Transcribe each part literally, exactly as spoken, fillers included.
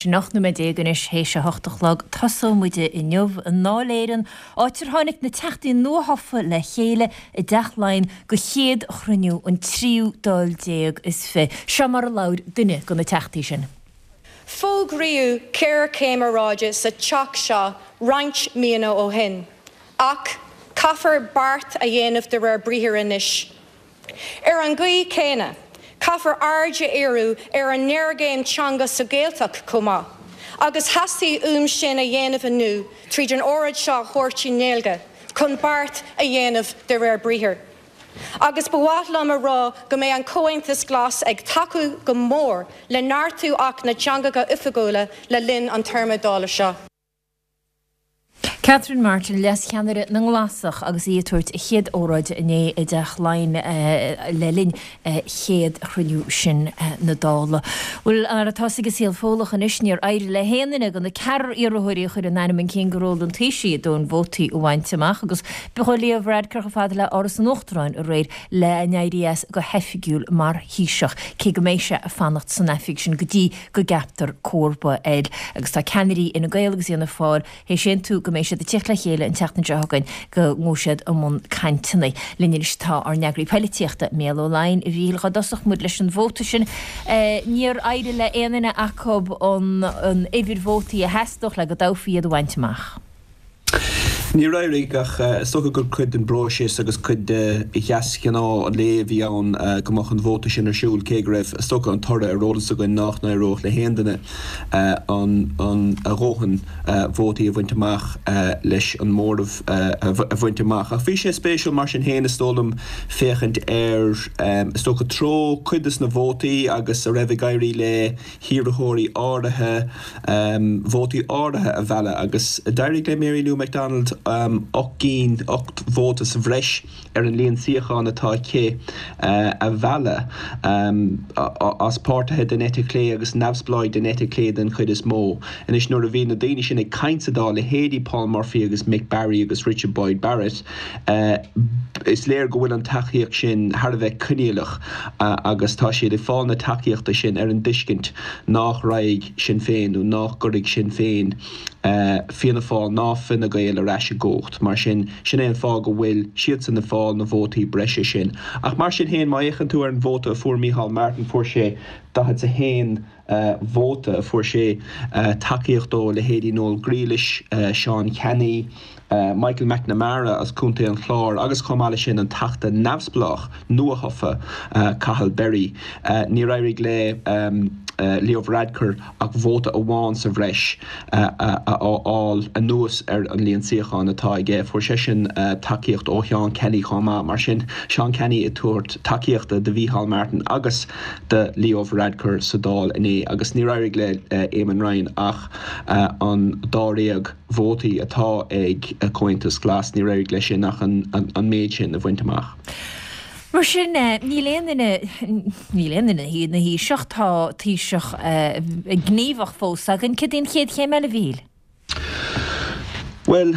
Sin ocht nóiméad déag anois théis a hocht a chlog. Tosóidh muid inniu i nDáil Éireann, áit ar tháinig na teachtaí nuathofa le chéile i dTeach Laighean go chéad chruinniú an tríú Dáil déag is fiche. Seo mar a labhair duine de na teachtaí sin. Fógraíodh géarchéim aeráide sa teach seo roinnt míonna ó shin, ach caithfear beart a dhéanamh de réir briathair anois. Ar an gcaoi chéanna, caithfear aird a dhíriú ar an ngéarchéim teanga sa Ghaeltacht chomh maith, agus theastaigh uaim sin a dhéanamh inniu tríd an óráid seo a thabhairt i nGaeilge, chun beart a dhéanamh de réir briathair. Agus ba mhaith liom a rá go mbeidh an Comhaontas Glas ag tacú go mór le neartú Acht na dTeangacha Oifigiúla le linn an téarma Dála seo. Catherine Martin, leascheannaire na nGlasach agus í ag tabhairt a chéad óráid inné i dTeach Laighean le linn chéad chruinniú sin na Dála. Bhuel, mar atá ag an saol Fódhlach anois, níor éirigh le haon duine de na ceathrar iarrthóirí a chuir a n-ainm chun cinn do ról an Taoisigh a ndóthain vótaí a bhaint amach agus b'é Leo Varadkar chomh fada le Áras an Uachtaráin aréir le n-éirí as go hoifigiúil mar Thaoiseach, cé go mbeidh sé ag fanacht san oifig sin go dtí go gceaptar comharba air. Agus tá ceannairí Fhine Gael agus Fhianna Fáil théis aontú go mbeidh siad ag teacht le chéile an tseachtain seo chugainn go ngabhfaidh siad i mbun cainteanna. Linn anois tá ár n-eagraí poilitíochta, Mícheál Ó Laighin, a Mhíchíl, dhá dtosódh muid leis an vóta sin. Níor éirigh le aon duine acu an uimhir vótaí a theastódh le go dtoghfaí iad a bhaint amach. Níor éirigh ach is dócha gur cuid den bpróiseas agus cuid de dheasghnáth an lae a bhí ann go mbeadh an vóta sin ar siúl cé go raibh is dócha an toradh ar eolas againn nach n-éireodh le haon duine an an a dhóthain vótaí a bhaint amach leis an móramh a bhaint amach. Ach bhí sé spéisiúil mar sin féin is dóigh liom féachaint ar is dócha treo cuid des na vótaí agus a raibh ag éirí le hiarrthóirí áirithe vótaí áirithe a mhealladh agus d'éirigh le Mary Lou McDonald ocht gcinn ocht vóta sa bhreis ar an líon suíochán atá aici a mhealladh as páirtithe den eite chlé agus neamhspleáigh den eite chlé den chuid is mó. Anois nuair a bhí na daoine sin ag caint sa Dáil leithéidí Paul Murphy agus Mick Barry agus Richard Boyd Barrett, is léir go bhfuil an tacaíocht sin thar a bheith coinníollach agus tá siad ag fáil na tacaíochta sin ar an dtuiscint nach raghaidh Sinn Féin nó nach gcuirfidh Sinn Féin Fianna Fáil ná Fine Gael ar ais i gcumhacht. Mar sin sin é an fáth go bhfuil siadsan ag fáil na vótaí breise sin. Ach mar sin féin má fhéachann tú ar an vóta a fuair Micheál Martin fuair sé daichead a haon vóta, fuair sé tacaíocht ó leithéidí Noel Grealish, Seán Canney, Michael McNamara as Contae an Chláir agus chomh maith leis sin an teachta neamhspleách nuathofa Cathal Berry. Níor éirigh le Leo Varadkar ach vóta amháin sa bhreis a fháil anuas ar an líon suíochán atá aige. Fuair seisean tacaíocht ó Sheán Kenny chomh maith mar sin Seán Kenny ag tabhairt tacaíochta do Mhicheál Martin agus do Leo Varadkar sa Dáil inné agus níor éirigh le Eamon Ryan ach an dáréag vótaí atá ag Comhaontas Glas níor éirigh leis sin ach an, an, an méid sin a bhaint amach. Mar sin níl aon duine níl aon duine ina Thaoiseach tá Taoiseach gníomhach fós againn cad é an chéad chéim eile Mhíchíl. Well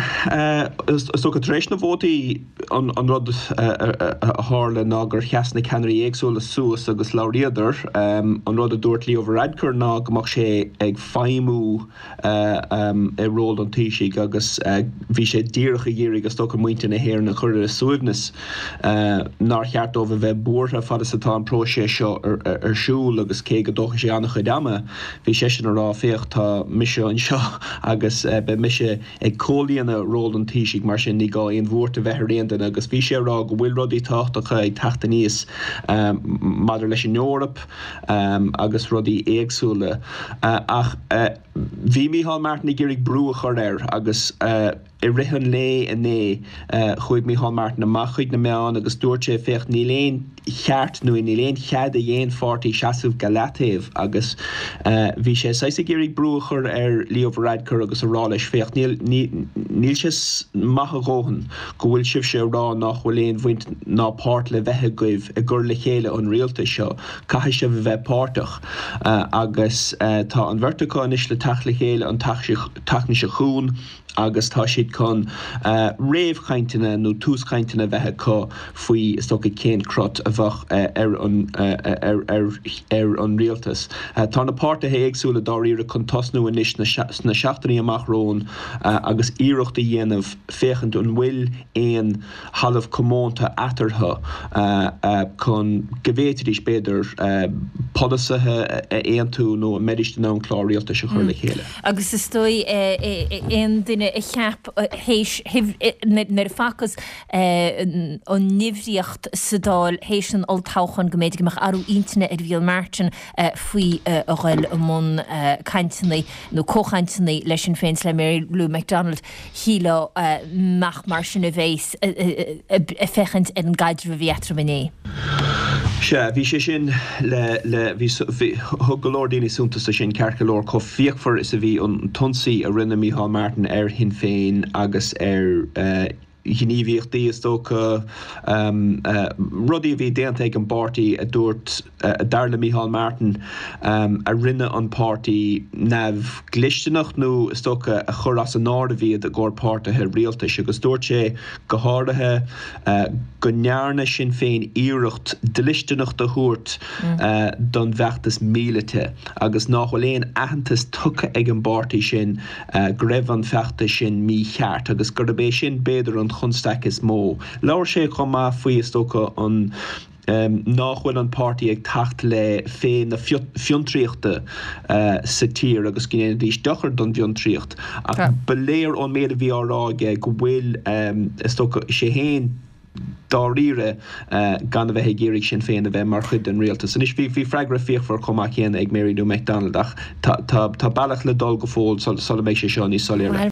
is dócha tar éis na vótaí an an rud a tharla ná gur sheas na ceannairí éagsúla suas agus labhraíodar an rud a dúirt Leo Varadkar ná go mbeadh sé ag feidhmiú i ról an Taoisigh agus bhí sé díreach ag iarraidh is dócha muintir na hÉireann a chur ar a suaimhneas nár cheart dóibh a bheith buartha fad is atá an próiseas seo ar siúl agus cé go dtógfaidh sé an-chuid ama bhí seisean ag rá féach tá mise anseo agus beidh mise ag comhlíonadh ról an Taoisigh mar sin ní gá aon bhuairt a bheith ar aon duine agus bhí sé ag rá go bhfuil rudaí tábhachtacha ag teacht aníos maidir leis an Eoraip agus rudaí éagsúla ach bhí Micheál Martin ag iarraidh brú a chur air agus i rith an lae inné chuaigh Micheál Martin amach chuig na meáin agus dúirt sé féach níl aon cheart nó níl aon chead ag aon pháirtí seasamh go leataobh agus bhí sé saghas ag iarraidh brú a chur ar Leo Varadkar agus a rá leis féach níl níl sé maith a dhóthain go bhfuil sibhse ag rá nach bhfuil aon bhaint ná páirt le bheith agaibh i gcur le chéile an rialtais seo caithfidh sibh a bheith páirteach agus tá an bheirt acu anois le teacht le chéile an tseachtain seo chugainn agus tá siad siad chun réamhchainteanna nó túschainteanna a bheith acu faoi, is dócha, cén crot a bheadh ar an ar an rialtas. Tá na páirtithe éagsúla dáiríre chun tosnú anois sna seachtainí amach romhainn agus iarracht a dhéanamh féachaint an bhfuil aon thalamh comónta eatarthu chun go bhféadfaidís, b'fhéidir, polasaithe a aontú nó an mbeidís in ann clár rialtais a chur le chéile. Agus is dóigh aon duine a cheap théis nuair a facthas an nimhríocht sa Dáil théis an olltoghcháin go mb'fhéidir go mbeadh athrú intinne ar Mhícheál Martin faoi a ghoil i mbun cainteanna nó comhchainteanna le Sinn Féin is le Mary Lou McDonald, shílfeá nach mar sin a bheas ag féachaint ar an gcaidreamh a bhí eatarthu inné. Sea, bhí sé sin le, le, bhí, bhí, thug go leor daoine suntas do sin, ceart go leor, chomh fíochmhar is a bhí an t-ionsaí a rinne Micheál Martin ar Shinn Féin agus ar eh, ghníomhaíochtaí, is dócha, rudaí a bhí déanta ag an bpáirtí a dúirt, dar le Micheál Martin, a rinne an páirtí neamhdhlisteanach nó, is dócha, a chuir as an áireamh iad i gcomhair páirtithe rialtais. Agus dúirt sé, go háirithe, go ndearna Sinn Féin iarracht dlisteanacht a thabhairt don bhfeachtas míleata agus nach bhfuil aon aitheantas tugtha ag an bpáirtí sin go raibh an feachtas sin mícheart agus gurb é sin b'fhéidir an chonstaic is mó. Labhair sé chomh maith faoi, is dócha, an nach bhfuil an páirtí ag teacht le féith na fiontraíochta sa tír agus go ndéanfaidís dochar don bhfiontraíocht. Ach ba léir ón méid a bhí á rá aige go bhfuil, is dócha, sé féin dáiríre gan a bheith ag iarraidh Sinn Féin a bheith mar chuid den rialtas. Anois bhí freagra fíochmhar chomh maith céanna ag Mary Lou McDonald ach tá bealach le dul go fóill sula mbeidh sé seo níos soiléire.